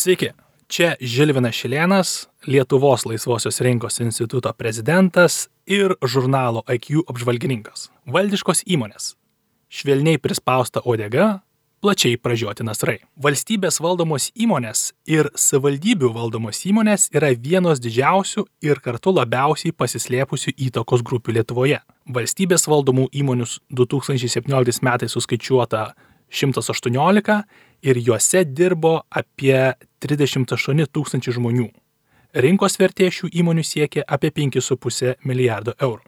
Sveiki, čia Žilvinas Šilėnas, Lietuvos laisvosios rinkos instituto prezidentas ir žurnalo IQ apžvalgininkas. Valdiškos įmonės. Švelniai prispausta uodega, plačiai pražioti nasrai. Valstybės valdomos įmonės ir savivaldybių valdomos įmonės yra vienos didžiausių ir kartu labiausiai pasislėpusių įtakos grupių Lietuvoje. Valstybės valdomų įmonių 2017 metais suskaičiuota 118 ir juose dirbo apie 38 tūkstančių žmonių. Rinkos vertė šių įmonių siekia apie 5,5 milijardo eurų.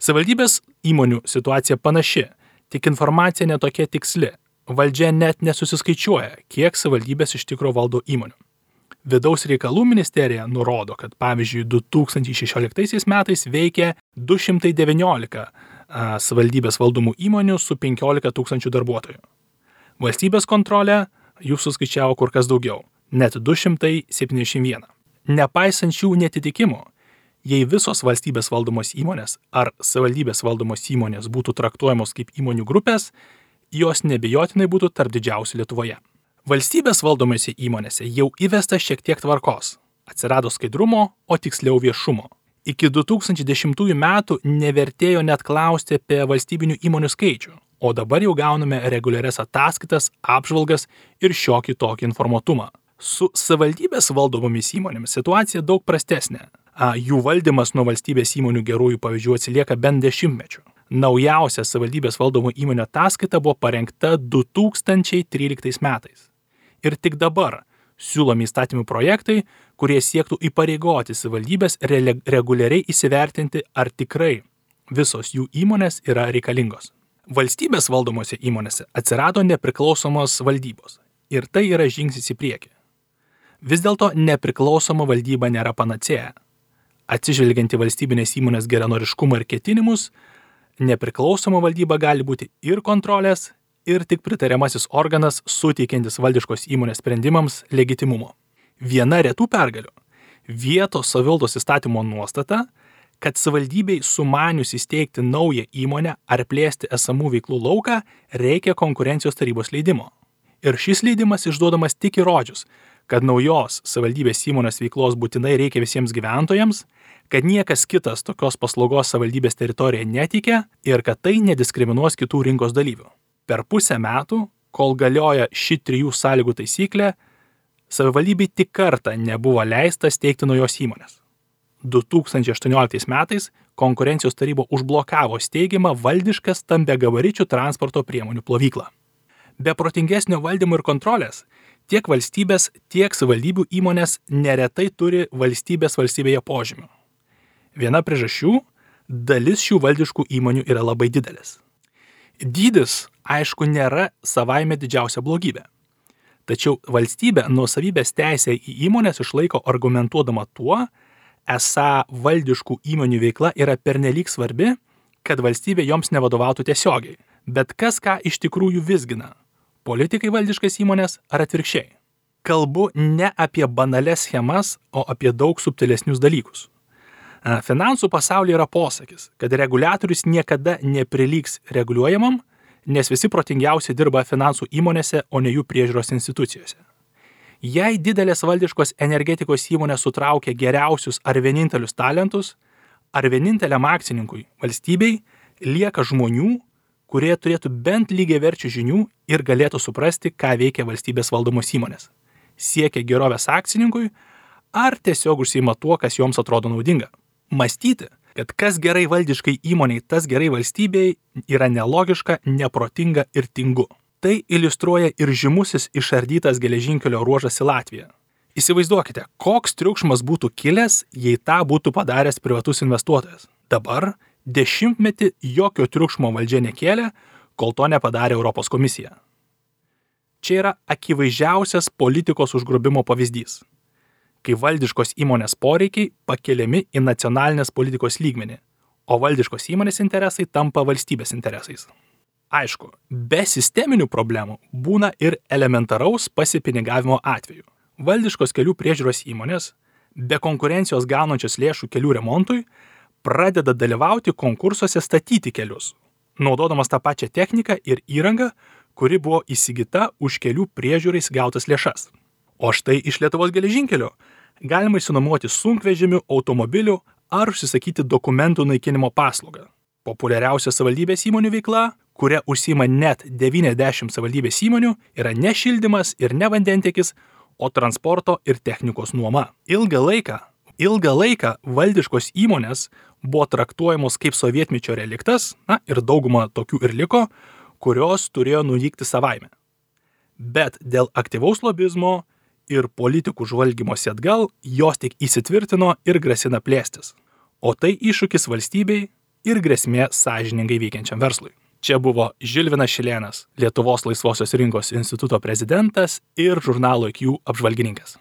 Savivaldybės įmonių situacija panaši, tik informacija netokia tiksli. Valdžia net nesusiskaičiuoja, kiek savivaldybės iš tikro valdo įmonių. Vidaus reikalų ministerija nurodo, kad pavyzdžiui 2016 metais veikė 219 savivaldybės valdomų įmonių su 15 tūkstančių darbuotojų. Valstybės kontrolė jų suskaičiavo kur kas daugiau, net 271. Nepaisant šių netitikimų, jei visos valstybės valdomos įmonės ar savivaldybės valdomos įmonės būtų traktuojamos kaip įmonių grupės, jos nebejotinai būtų tarp didžiausių Lietuvoje. Valstybės valdomose įmonėse jau įvesta šiek tiek tvarkos, atsirado skaidrumo, o tiksliau viešumo. Iki 2010 metų nevertėjo net klausti apie valstybinių įmonių skaičių, o dabar jau gauname reguliarias ataskaitas, apžvalgas ir šiokį tokį informatumą. Su savivaldybės valdomomis įmonėmis situacija daug prastesnė. Jų valdymas nuo valstybės įmonių gerųjų pavyzdžių atsilieka bent 10 metų. Naujausia savivaldybės valdomų įmonių ataskaita buvo parengta 2013 metais. Ir tik dabar siūlomi įstatymų projektai, kurie siektų įpareigoti savivaldybės reguliariai įsivertinti, ar tikrai visos jų įmonės yra reikalingos. Valstybės valdomose įmonėse atsirado nepriklausomos valdybos ir tai yra žingsnis į priekį. Vis dėlto nepriklausoma valdyba nėra panacėja. Atsižvelgiant į valstybinės įmonės geranoriškumą ir ketinimus, nepriklausoma valdyba gali būti ir kontrolės, ir tik pritariamasis organas suteikiantis valdiškos įmonės sprendimams legitimumo. Viena retų pergalių – vietos savivaldos įstatymo nuostata, kad savivaldybei sumanius įsteigti naują įmonę ar plėsti esamų veiklų lauką, reikia konkurencijos tarybos leidimo. Ir šis leidimas išduodamas tik įrodžius, kad naujos savivaldybės įmonės veiklos būtinai reikia visiems gyventojams, kad niekas kitas tokios paslaugos savivaldybės teritorijoje neteikia ir kad tai nediskriminuos kitų rinkos dalyvių. Per pusę metų, kol galioja ši 3 sąlygų taisyklė, savivaldybei tik kartą nebuvo leista steigti naujos įmonės. 2018 metais konkurencijos taryba užblokavo steigiamą valdišką stambiagabaričių transporto priemonių plovyklą. Be protingesnio valdymo ir kontrolės, tiek valstybės, tiek savivaldybių įmonės neretai turi valstybėje požymių. Viena priežasčių – dalis šių valdiškų įmonių yra labai didelis. Dydis, aišku, nėra savaime didžiausia blogybė. Tačiau valstybė nuosavybės teisę į įmonės išlaiko argumentuodama tuo, esą valdiškų įmonių veikla yra pernelyg svarbi, kad valstybė joms nevadovautų tiesiogiai. Bet kas ką iš tikrųjų vizgina? Politikai valdiškas įmonės ar atvirkščiai? Kalbu ne apie banalias schemas, o apie daug subtilesnius dalykus. Finansų pasaulyje yra posakis, kad reguliatorius niekada neprilygs reguliuojamam, nes visi protingiausi dirba finansų įmonėse, o ne jų priežiūros institucijose. Jei didelės valdiškos energetikos įmonės sutraukia geriausius ar vienintelius talentus, ar vieninteliam akcininkui valstybei lieka žmonių, kurie turėtų bent lygiaverčių žinių ir galėtų suprasti, ką veikia valstybės valdomos įmonės. Siekia gerovės akcininkui ar tiesiog užsiima tuo, kas joms atrodo naudinga. Mąstyti, kad kas gerai valdiškai įmoniai, tas gerai valstybei yra nelogiška, neprotinga ir tingu. Tai iliustruoja ir žymusis išardytas geležinkelio ruožas į Latviją. Įsivaizduokite, koks triukšmas būtų kilęs, jei tą būtų padaręs privatus investuotojas. Dabar 10 metį jokio triukšmo valdžia nekėlė, kol to nepadarė Europos komisija. Čia yra akivaizdžiausias politikos užgrobimo pavyzdys, kai valdiškos įmonės poreikiai pakeliami į nacionalinės politikos lygmenį, o valdiškos įmonės interesai tampa valstybės interesais. Aišku, be sisteminių problemų būna ir elementaraus pasipinigavimo atveju. Valdiškos kelių priežiūros įmonės, be konkurencijos gaunančios lėšų kelių remontui, pradeda dalyvauti konkursuose statyti kelius, naudodamas tą pačią techniką ir įrangą, kuri buvo įsigyta už kelių priežiūrais gautas lėšas. O štai iš Lietuvos geležinkelių galima išsinuomoti sunkvežimių, automobilių ar užsisakyti dokumentų naikinimo paslaugą. Populiariausia savivaldybės įmonių veikla, kuria užsiima net 90 savivaldybės įmonių, yra ne šildymas ir ne vandentiekis, o transporto ir technikos nuoma. Ilgą laiką valdiškos įmonės buvo traktuojamos kaip sovietmečio reliktas, ir dauguma tokių ir liko, kurios turėjo nuvykti savaime. Bet dėl aktyvaus lobizmo ir politikų žvalgymosi atgal, jos tik įsitvirtino ir grasina plėstis. O tai iššūkis valstybei ir grėsmė sąžiningai veikiančiam verslui. Čia buvo Žilvinas Šilėnas, Lietuvos laisvosios rinkos instituto prezidentas ir žurnalo IQ apžvalgininkas.